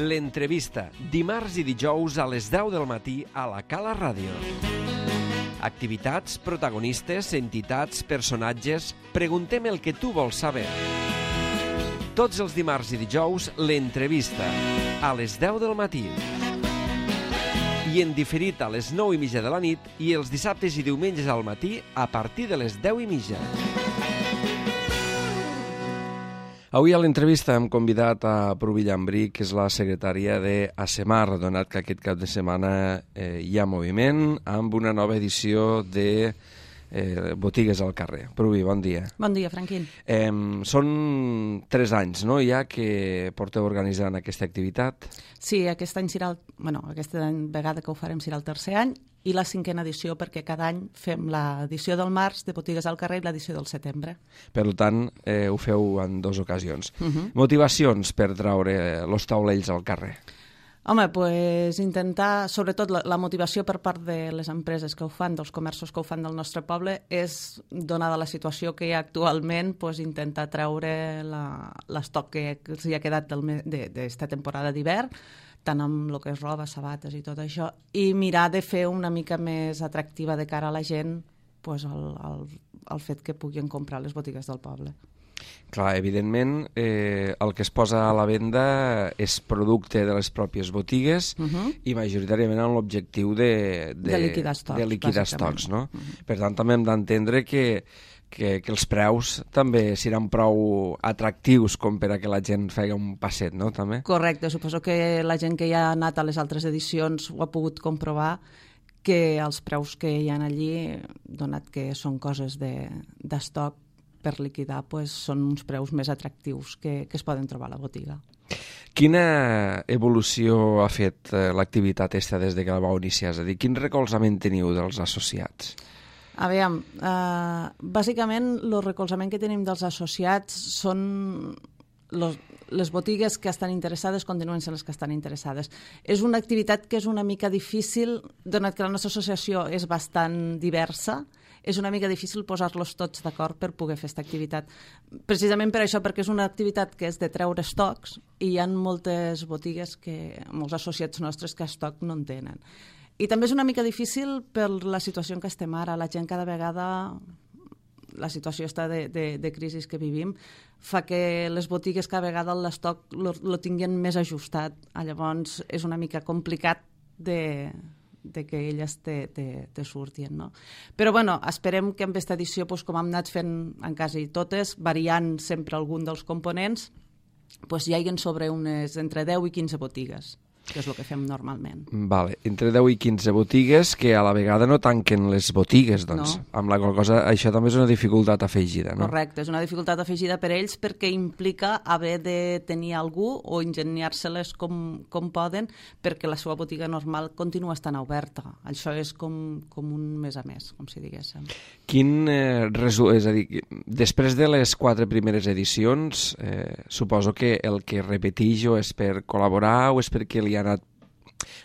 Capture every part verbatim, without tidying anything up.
L'entrevista, dimarts i dijous a les deu del matí a la Cala Ràdio. Activitats, protagonistes, entitats, personatges... Preguntem el que tu vols saber. Tots els dimarts i dijous, l'entrevista, a les deu del matí. I en diferit a les nou i mitja de la nit i els dissabtes i diumenges al matí a partir de les deu i mitja. Avui a l'entrevista hem convidat a Pruvi Llambrí, que és la secretària d'ASEMAR, donat que aquest cap de setmana eh, hi ha moviment, amb una nova edició de eh, Botigues al carrer. Pruvi, bon dia. Bon dia, Franquín. Eh, són tres anys, no?, ja que porteu organitzant aquesta activitat. Sí, aquest any serà el, bueno, aquesta vegada que ho farem serà el tercer any, i la cinquena edició, perquè cada any fem l'edició del març de Botigues al carrer i l'edició del setembre. Per tant, eh, ho feu en dues ocasions. Uh -huh. Motivacions per traure els taulells al carrer? Home, pues intentar, sobretot la, la motivació per part de les empreses que ho fan, dels comerços que ho fan del nostre poble, és, donada la situació que hi ha actualment, pues, intentar treure l'estoc que els hi ha quedat d'esta temporada d'hivern, tant amb el que és roba, sabates i tot això, i mirar de fer una mica més atractiva de cara a la gent pues, el, el, el fet que puguin comprar les botigues del poble. Clar, evidentment, eh, el que es posa a la venda és producte de les pròpies botigues uh -huh. i majoritàriament amb l'objectiu de, de, de liquidar estocs, de liquidar estocs, no? Uh -huh. Per tant, també hem d'entendre que Que, que els preus també seran prou atractius com per a que la gent faci un passet, no? També? Correcte, suposo que la gent que ja ha anat a les altres edicions ho ha pogut comprovar, que els preus que hi ha allí, donat que són coses d'estoc de, per liquidar, pues, són uns preus més atractius que, que es poden trobar a la botiga. Quina evolució ha fet eh, l'activitat esta des de que la vau iniciar? És a dir, quin recolzament teniu dels associats? A veure, uh, bàsicament el recolzament que tenim dels associats són los, les botigues que estan interessades, continuen sent les que estan interessades. És una activitat que és una mica difícil, donat que la nostra associació és bastant diversa, és una mica difícil posar-los tots d'acord per poder fer aquesta activitat. Precisament per això, perquè és una activitat que és de treure estocs i hi ha moltes botigues, que, molts associats nostres que estoc no en tenen. I també és una mica difícil per la situació en què estem ara. La gent cada vegada, la situació està de, de, de crisi que vivim, fa que les botigues cada vegada l'estoc lo tinguin més ajustat. Llavors és una mica complicat de, de que elles te, te, te surtin, no? Però bueno, esperem que amb aquesta edició, doncs, com hem anat fent en quasi totes, variant sempre algun dels components, doncs hi hagin sobre unes entre deu i quinze botigues, que és el que fem normalment. Vale. Entre deu i quinze botigues que a la vegada no tanquen les botigues, doncs. No. Amb la qual cosa això també és una dificultat afegida, no? Correcte, és una dificultat afegida per ells perquè implica haver de tenir algú o ingeniar-se-les com, com poden perquè la seva botiga normal continua estant oberta. Això és com, com un mes a mes, com si diguéssim. Quin eh, resu... És a dir, després de les quatre primeres edicions, eh, suposo que el que repeteix o és per col·laborar o és perquè li ha anat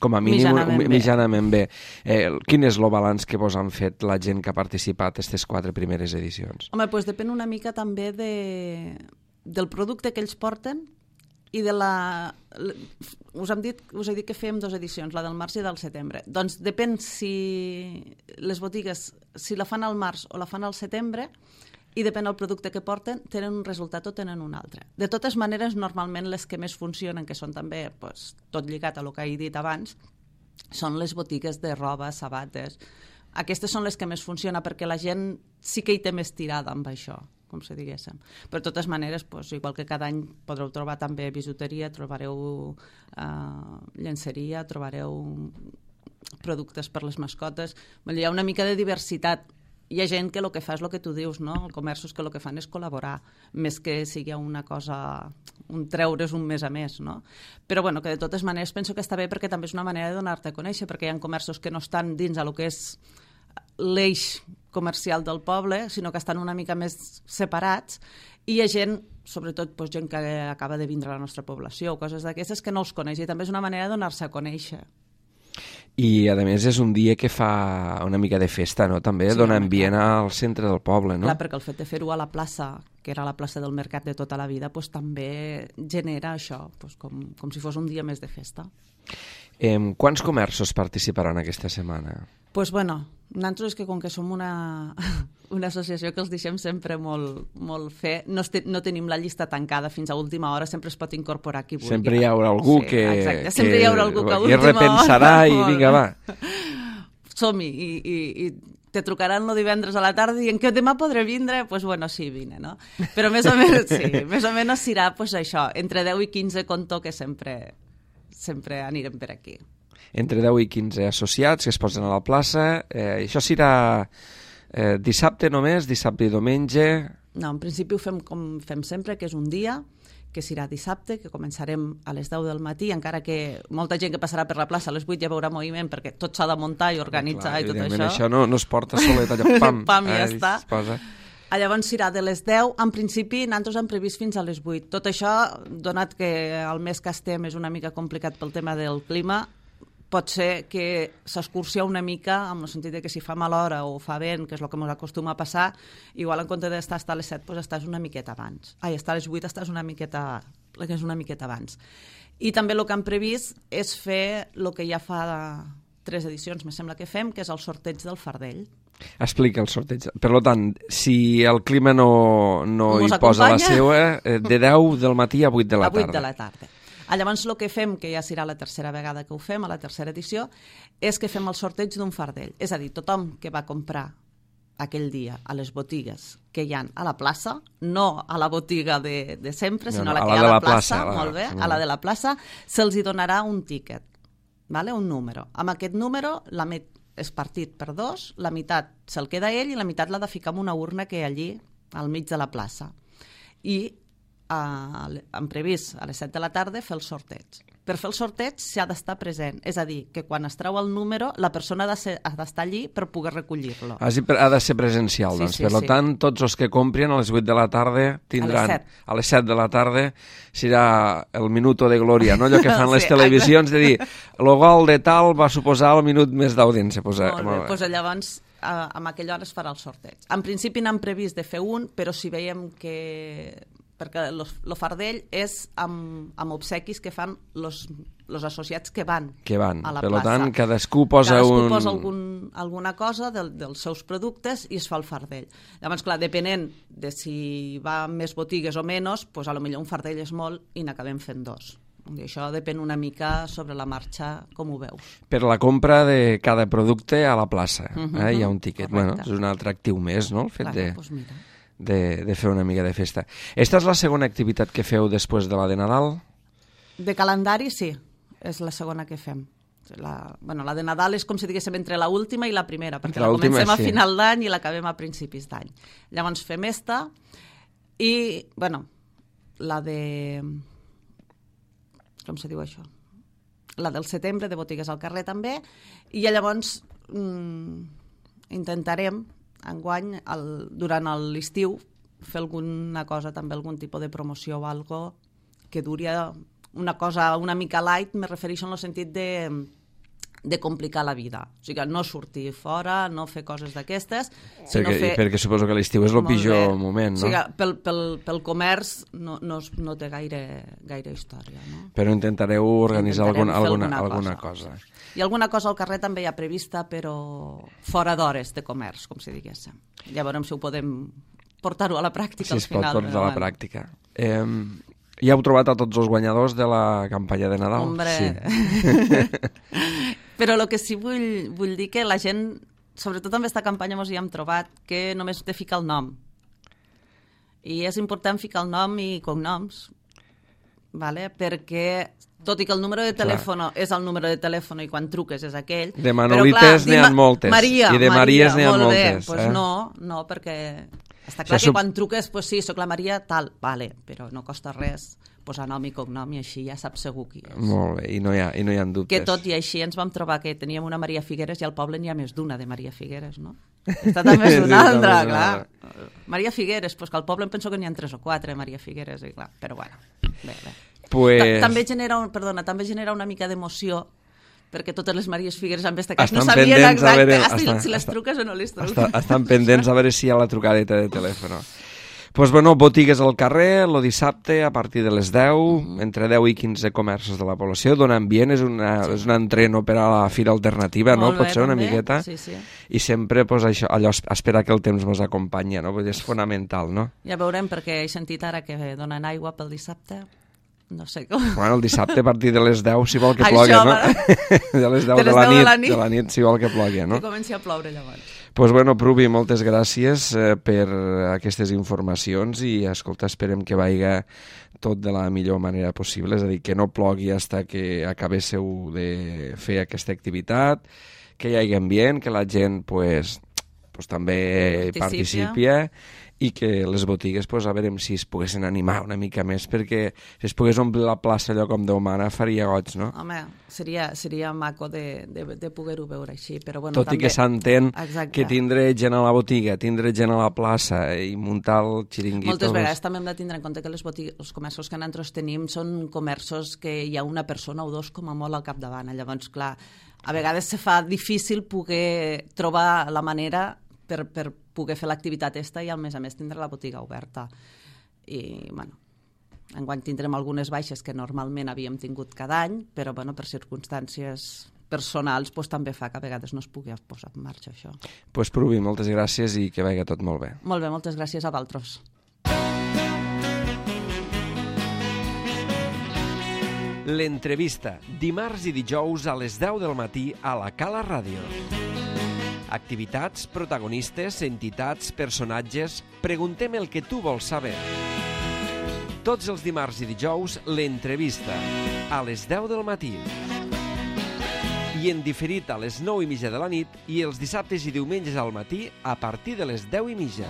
com a mínim mitjanament, mitjanament bé. bé. Eh, quin és el balanç que vos han fet la gent que ha participat en aquestes quatre primeres edicions? Home, doncs depèn una mica també de, del producte que ells porten i de la... Us, hem dit, us he dit que fèiem dues edicions, la del març i del setembre. Doncs depèn si les botigues, si la fan al març o la fan al setembre, i depèn del producte que porten, tenen un resultat o tenen un altre. De totes maneres, normalment les que més funcionen, que són també pues, tot lligat a el que he dit abans, són les botigues de roba, sabates. Aquestes són les que més funcionen perquè la gent sí que hi té més tirada amb això, com si diguéssim. Però de totes maneres, pues, igual que cada any podreu trobar també bisuteria, trobareu eh, llenceria, trobareu productes per les mascotes. Hi ha una mica de diversitat. Hi ha gent que el que fa és el que tu dius, no? Els comerços que el que fan és col·laborar, més que sigui una cosa, un treure's un mes a més, no? Però bueno, que de totes maneres penso que està bé perquè també és una manera de donar-te a conèixer, perquè hi ha comerços que no estan dins a lo que és l'eix comercial del poble, sinó que estan una mica més separats, i hi ha gent, sobretot doncs, gent que acaba de vindre a la nostra població o coses d'aquestes, que no els coneix, i també és una manera de donar-se a conèixer. I, a més, és un dia que fa una mica de festa, no? També sí, dona ambient al centre del poble, no? Clar, perquè el fet de fer-ho a la plaça, que era la plaça del mercat de tota la vida, pues, també genera això, pues, com, com si fos un dia més de festa. Eh, quants comerços participaran aquesta setmana? Doncs, pues, bueno, nosaltres és que com que som una, una associació que els deixem sempre molt, molt fer, no, este, no tenim la llista tancada fins a última hora, sempre es pot incorporar qui vulgui. Sempre hi haurà algú sí, que, exacte, sempre que, hi haurà algú que a que repensarà hora, i vinga, va. Som-hi, i, i, i te trucaran el divendres a la tarda i en què demà podré vindre? Doncs pues, bueno, sí, vine, no? Però més o menys, sí, més o menys serà pues, això, entre deu i quinze conto que sempre, sempre anirem per aquí. Entre deu i quinze associats que es posen a la plaça. Eh, això serà eh, dissabte només, dissabte i diumenge? No, en principi ho fem com fem sempre, que és un dia, que serà dissabte, que començarem a les deu del matí, encara que molta gent que passarà per la plaça a les vuit ja veurà moviment, perquè tot s'ha de muntar i organitzar i tot això. Això no, no es porta solet allò, pam, pam i ja eh, està. Posa. Llavors serà de les deu, en principi nosaltres hem previst fins a les vuit. Tot això, donat que el mes que estem és una mica complicat pel tema del clima, pot ser que s'excursia una mica, en el sentit de que si fa mala hora o fa vent, que és el que ens acostuma a passar, igual en compte d'estar a les set, doncs estàs una miqueta abans. Ai, estar a les vuit estàs una miqueta, que és una miqueta abans. I també el que hem previst és fer el que ja fa tres edicions, me sembla que fem, que és el sorteig del fardell. Explica el sorteig. Per tant, si el clima no, no hi Mos posa acompanya? la seua, de deu del matí a vuit de la tarda. A vuit de la tarda. Llavors el que fem, que ja serà la tercera vegada que ho fem, a la tercera edició, és que fem el sorteig d'un fardell. És a dir, tothom que va comprar aquell dia a les botigues que hi ha a la plaça, no a la botiga de, de sempre, sinó no, no, a la que a la hi ha a la, la plaça, plaça molt bé, a la de la plaça, se'ls hi donarà un tíquet, vale? Un número. Amb aquest número la met és partit per dos, la meitat se'l queda ell i la meitat l'ha de ficar en una urna que hi ha allí, al mig de la plaça. I han previst a les set de la tarda fer el sorteig. Per fer el sorteig s'ha d'estar present, és a dir, que quan es treu el número la persona ha d'estar allí per poder recollir-lo. Ha de ser presencial, sí, doncs. Sí, per sí. tant, tots els que comprin a les vuit de la tarda tindran... A les set. A les set de la tarda serà el minuto de glòria, no? Allò que fan les sí, televisions de dir el gol de tal va suposar el minut més d'audiència. Pues, molt bé, doncs llavors amb aquella hora es farà el sorteig. En principi n'han previst de fer un, però si veiem que... perquè el fardell és amb, amb obsequis que fan els associats que van, que van a la per plaça. Per tant, cadascú posa, cadascú un... posa algun, alguna cosa del, dels seus productes i es fa el fardell. Llavors, clar, depenent de si va més botigues o menys, doncs a lo millor un fardell és molt i n'acabem fent dos. I això depèn una mica sobre la marxa, com ho veus. Per la compra de cada producte a la plaça, uh -huh, eh? Hi ha un tiquet. Bueno, és un atractiu més, no?, el fet clar, de... Doncs mira. De, de fer una mica de festa. Esta és la segona activitat que feu després de la de Nadal? De calendari, sí. És la segona que fem. La, bueno, la de Nadal és com si diguéssim entre la última i la primera, perquè la, la comencem a sí. final d'any i l'acabem a principis d'any. Llavors fem esta i, bueno, la de... Com se diu això? La del setembre, de botigues al carrer també, i llavors mmm, intentarem enguany, el, durant l'estiu, fer alguna cosa, també algun tipus de promoció o algo que duri una cosa una mica light, me refereixo en el sentit de, de complicar la vida. O sigui, no sortir fora, no fer coses d'aquestes, sinó perquè, fer... Perquè suposo que l'estiu és el pitjor moment, no? O sigui, pel, pel, pel comerç no, no, no té gaire, gaire història, no? Però intentareu organitzar intentarem alguna, alguna, alguna, alguna cosa. cosa. I alguna cosa al carrer també hi ha prevista, però fora d'hores de comerç, com si diguéssim. Ja veurem si ho podem portar-ho a la pràctica si al final. Si es pot portar a la pràctica. Eh, ja heu trobat a tots els guanyadors de la campanya de Nadal? Hombre... Sí. Però el que sí vull, vull dir que la gent, sobretot amb aquesta campanya, ens hi hem trobat que només té ficar el nom. I és important ficar el nom i cognoms, vale? Perquè tot i que el número de telèfon és el número de telèfon i quan truques és aquell... De Manolites n'hi ha moltes. Maria, I de Maries n'hi ha molt moltes. Bé. Pues eh? no, no, perquè està clar que sub... quan truques, pues sí, soc la Maria, tal, vale, però no costa res posar nom i cognom i així ja saps segur qui és. Molt bé, i no hi ha, i no hi ha dubtes. Que tot i així ens vam trobar que teníem una Maria Figueres i al poble n'hi ha més d'una de Maria Figueres, no? Està també és una sí, altra, clar. Maria Figueres, pues que al poble em penso que n'hi ha tres o quatre Maria Figueres, i clar, però bueno, bé, bé. Pues... També genera, un, perdona, també genera una mica d'emoció perquè totes les Maries Figueres amb este cas estan no sabien pendents a exacte veure, si, estan, si les estan, truques o no les truques. Estan, estan pendents a veure si hi ha la trucadeta de telèfon. Doncs, pues, bueno, botigues al carrer, el dissabte, a partir de les deu, mm. entre deu i quinze comerços de la població, dona ambient, és, una, sí. és un entreno per a la fira alternativa, no? Molt Pot bé, ser una també. miqueta. Sí, sí. I sempre, pues, això, allò, esperar que el temps ens acompanya, no? Vull dir, és fonamental, no? Ja veurem, perquè he sentit ara que donen aigua pel dissabte. No sé com... Bueno, el dissabte a partir de les deu, si vol que Això, plogui, no? Va... de les deu de, de, la nit, de la nit, de la nit, si vol que plogui, no? Que comenci a ploure llavors. Doncs, pues, bueno, Pruvi, moltes gràcies eh, per aquestes informacions i, escolta, esperem que vagi tot de la millor manera possible, és a dir, que no plogui fins que acabéssiu de fer aquesta activitat, que hi hagi ambient, que la gent pues, pues, també participi i que les botigues, pues, a veure si es poguessin animar una mica més, perquè si es pogués omplir la plaça allò com Déu mana faria goig, no? Home, seria, seria maco de, de, de poder-ho veure així, però bueno, tot també... i que s'entén Exacte. Que tindre gent a la botiga, tindre gent a la plaça i muntar el xiringuito... Moltes vegades també hem de tindre en compte que les botigues, els comerços que nosaltres tenim són comerços que hi ha una persona o dos com a molt al capdavant, llavors, clar, a vegades se fa difícil poder trobar la manera per, per poder fer l'activitat esta i, a més a més, tindre la botiga oberta. I, bueno, enguany tindrem algunes baixes que normalment havíem tingut cada any, però, bueno, per circumstàncies personals pues, també fa que a vegades no es pugui posar en marxa això. Doncs, pues, Pruvi, moltes gràcies i que vagi tot molt bé. Molt bé, moltes gràcies a vosaltres. L'entrevista, dimarts i dijous a les deu del matí a la Cala Ràdio. Activitats, protagonistes, entitats, personatges... Preguntem el que tu vols saber. Tots els dimarts i dijous, l'entrevista, a les deu del matí. I en diferit a les nou i mitja de la nit i els dissabtes i diumenges al matí a partir de les deu i mitja.